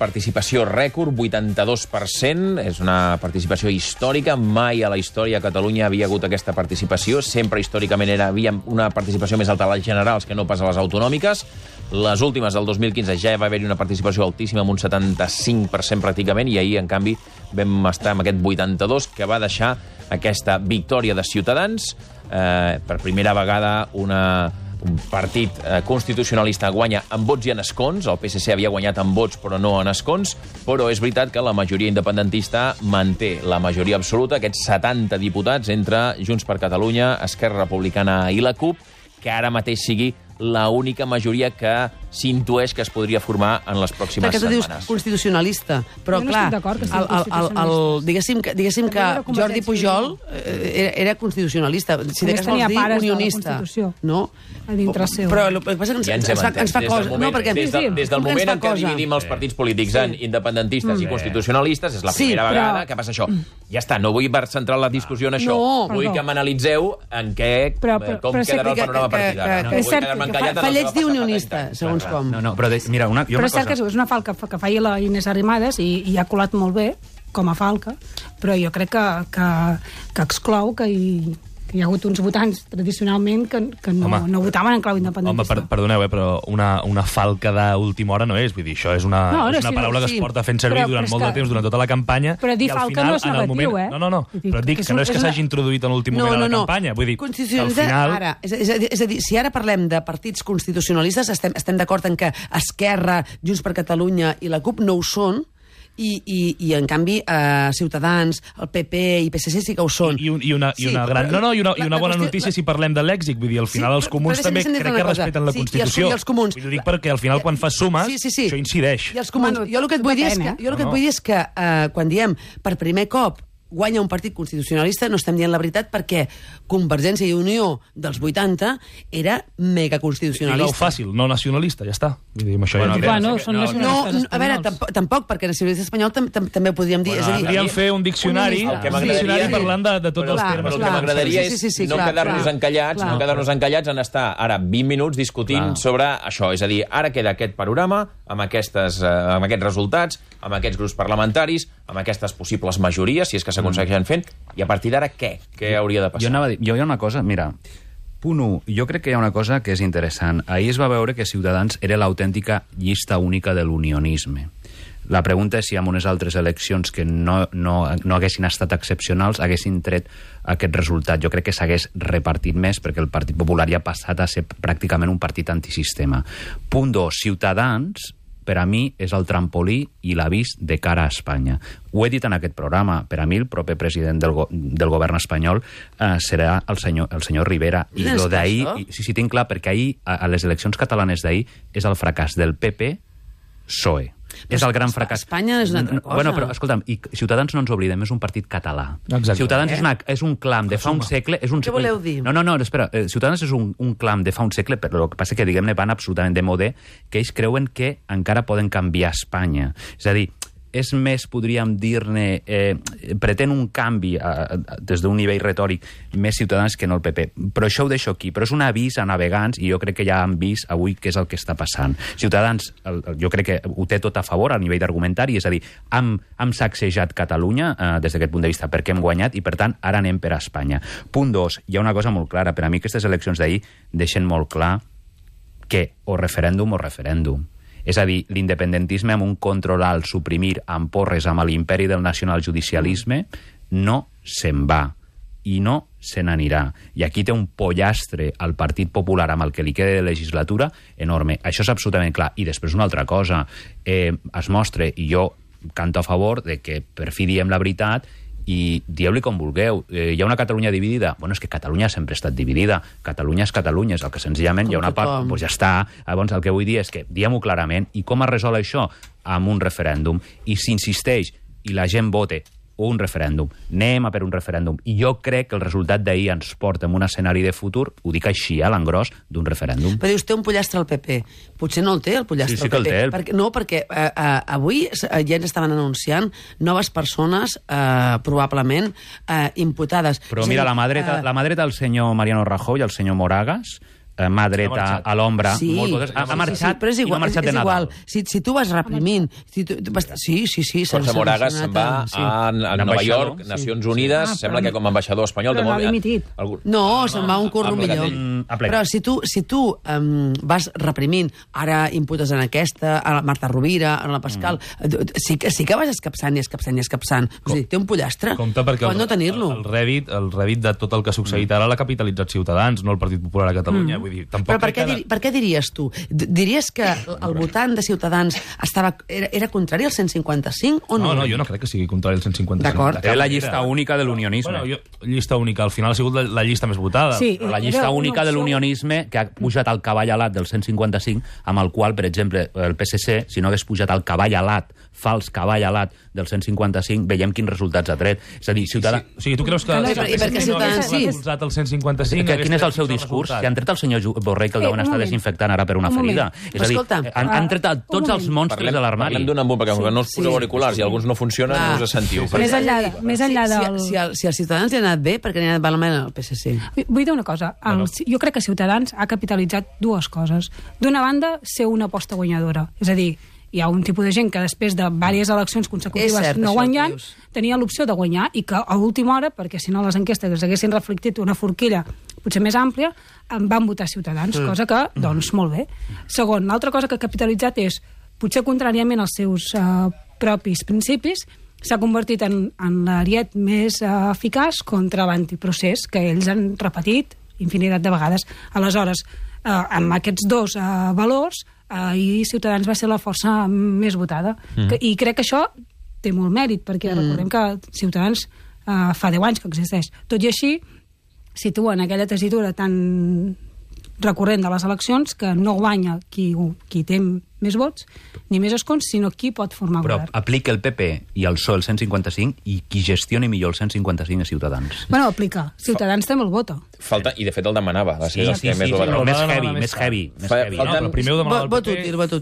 participació rècord, 82%, és una participació històrica, mai a la història a Catalunya havia hagut aquesta participació, sempre històricament havia una participació més alta a les generals que no pas a les autonòmiques. Les últimes, del 2015, ja va haver-hi una participació altíssima, amb un 75% pràcticament, i ahir, en canvi, vam estar amb aquest 82%, que va deixar aquesta victòria de Ciutadans. Per primera vegada, un partit constitucionalista guanya en vots i en escons. El PSC havia guanyat en vots, però no en escons. Però és veritat que la majoria independentista manté la majoria absoluta, aquests 70 diputats entre Junts per Catalunya, Esquerra Republicana i la CUP, que ara mateix sigui l'única majoria que s'intueix que es podria formar en les pròximes setmanes. Perquè tu dius constitucionalista, però jo no clar, estic d'acord que sigui constitucionalista. diguéssim que Jordi Pujol era constitucionalista, si de cas vols dir unionista. No? A dintre seu. Però el que passa que ens fa cosa. No, perquè des del moment en què dividim els partits polítics en independentistes i constitucionalistes, és la primera vegada que passa això. Ja està, no vull centrar la discussió en això. Vull que m'analitzeu en com quedarà el panorama a partir d'ara. És cert que fa lleig dir unionista, segons com. No, però mira, però és cert que és una falca que feia la Inés Arrimadas i ha colat molt bé, com a falca, però jo crec que exclou que hi ha hagut uns votants tradicionalment que no votaven en clau independentista. Home, perdoneu, però una falca d'última hora no és. Vull dir, això és una paraula que es porta fent servir durant molt de temps, durant tota la campanya. Però dir falca no és negatiu, eh? No, però dic que no és que s'hagi introduït en l'últim moment de la campanya. Vull dir, al final... És a dir, si ara parlem de partits constitucionalistes, estem d'acord en que Esquerra, Junts per Catalunya i la CUP no ho són, i en canvi Ciutadans, el PP i PSC sí que ho són. I una bona notícia si parlem de lèxic, vull dir, al final els comuns també crec que respeten la Constitució. Ho dic perquè al final quan fas sumes això incideix. I els comuns, jo el que et vull dir és que quan diem per primer cop guanya un partit constitucionalista, no estem dient la veritat, perquè Convergència i Unió dels 80 era mega constitucionalista. Digue-ho fàcil, no nacionalista, ja està. Vull dir, això són nacionalistes a veure, tampoc, perquè nacionalista espanyol també ho podríem dir. Podríem fer un diccionari parlant de tots els termes. El que m'agradaria és no quedar-nos encallats en estar ara 20 minuts discutint sobre això. És a dir, ara queda aquest panorama, amb aquests resultats, amb aquests grups parlamentaris, amb aquestes possibles majories, si és que s'aconsegueixen fent, i a partir d'ara què? Què hauria de passar? Jo hi ha una cosa, mira, punt 1, jo crec que hi ha una cosa que és interessant. Ahir es va veure que Ciutadans era l'autèntica llista única de l'unionisme. La pregunta és si amb unes altres eleccions que no haguessin estat excepcionals haguessin tret aquest resultat. Jo crec que s'hagués repartit més perquè el Partit Popular ja ha passat a ser pràcticament un partit antisistema. Punt 2, Ciutadans, per a mi, és el trampolí i l'avís de cara a Espanya. Ho he dit en aquest programa. Per a mi, el proper president del govern espanyol serà el senyor Rivera. I lo d'ahir, sí, tinc clar, perquè ahir, a les eleccions catalanes d'ahir, és el fracàs del PP-PSOE. És el gran fracàs. Espanya és una altra cosa. Bueno, però, escolta'm, i Ciutadans no ens oblidem, és un partit català. Exacte. Ciutadans és un clam de fa un segle... Què voleu dir? No, espera. Ciutadans és un clam de fa un segle, però el que passa que, diguem-ne, van absolutament de modè, que ells creuen que encara poden canviar Espanya. És a dir, és més, podríem dir-ne, pretén un canvi des d'un nivell retòric més Ciutadans que no el PP. Però això ho deixo aquí. Però és un avís a navegants i jo crec que ja han vist avui què és el que està passant. Ciutadans, jo crec que ho té tot a favor a nivell d'argumentari, és a dir, hem sacsejat Catalunya des d'aquest punt de vista perquè hem guanyat i, per tant, ara anem per a Espanya. Punt 2, hi ha una cosa molt clara. Per a mi aquestes eleccions d'ahir deixen molt clar que o referèndum o referèndum. És a dir, l'independentisme amb un control alt, suprimir amb porres amb l'imperi del nacionaljudicialisme, no se'n va i no se n'anirà. I aquí té un pollastre al Partit Popular amb el que li queda de legislatura enorme. Això és absolutament clar. I després una altra cosa. Es mostra, i jo canto a favor, de que per fi diem la veritat i dieu-li com vulgueu. Hi ha una Catalunya dividida? Bueno, és que Catalunya sempre ha estat dividida. Catalunya és Catalunya, és el que senzillament hi ha una part... Doncs ja està. Llavors, el que vull dir és que diguem-ho clarament. I com es resol això? Amb un referèndum. I s'insisteix i la gent vote un referèndum. Anem a per un referèndum. I jo crec que el resultat d'ahir ens porta en un escenari de futur, ho dic així, a l'engròs, d'un referèndum. Però dius, té un pollastre al PP. Potser no el té, el pollastre al PP. Sí que el té. Perquè avui ja ens estaven anunciant noves persones, probablement, imputades. Però mira, la mà dreta del senyor Mariano Rajoy i el senyor Moragas mà dreta a l'ombra, ha marxat i no ha marxat de Nadal. Si tu vas reprimint... Sí. José Moragas se'n va a Nova York, Nacions Unides, sembla que com a ambaixador espanyol... Però l'ha dimitit. No, se'n va un curro millor. Però si tu vas reprimint, ara imputes en aquesta, a la Marta Rovira, a la Pascal, sí que vas escapçant i escapçant. O sigui, té un pollastre. Compte perquè pot no tenir-lo. El Revit de tot el que ha succeït ara l'ha capitalitzat Ciutadans, no el Partit Popular a Catalunya. Vull dir, però per què diries tu? Diries que el votant de Ciutadans era contrari al 155 o no? No, jo no crec que sigui contrari al 155. D'acord. Era la llista única de l'unionisme. Llista única, al final ha sigut la llista més votada. Sí, la llista única de l'unionisme que ha pujat al cavall alat del 155, amb el qual, per exemple, el PSC, si no hagués pujat al cavall alat, fals cavall alat del 155, veiem quins resultats ha tret. És a dir, Ciutadans... O sigui, tu creus que... I per què Ciutadans sí? El 155... Quin és el seu discurs? Si han tret el senyor Borrell, que el deuen estar desinfectant ara per una ferida. És a dir, han tret tots els monstres de l'armari. Parlem d'un embut, perquè no us poseu auriculars i alguns no funcionen, no us sentiu. Més enllà del... Si als Ciutadans li ha anat bé, perquè li ha anat malament al PSC. Vull dir una cosa. Jo crec que Ciutadans ha capitalitzat dues coses. D'una banda, ser una aposta guanyadora. És a dir, hi ha un tipus de gent que després de diverses eleccions consecutives no guanyant, tenia l'opció de guanyar i que a última hora, perquè si no les enquestes haguessin reflectit una forquilla potser més àmplia, van votar Ciutadans, cosa que, doncs, molt bé. Segon, l'altra cosa que ha capitalitzat és, potser contràriament als seus propis principis, s'ha convertit en l'ariet més eficaç contra l'antiprocés, que ells han repetit infinitat de vegades. Aleshores, amb aquests dos valors, i Ciutadans va ser la força més votada. I crec que això té molt mèrit, perquè recordem que Ciutadans fa 10 anys que existeix. Tot i així, situa en aquella tessitura tan recurrent de les eleccions que no guanya qui té més vots ni més escons, sinó qui pot formar govern. Però aplica el PP i el PSOE el 155 i qui gestioni millor el 155 és Ciutadans. Bueno, aplica. Ciutadans també el vota. Falta, i de fet el demanava. Més heavy. Primer ho demanava el PP. Vot útil.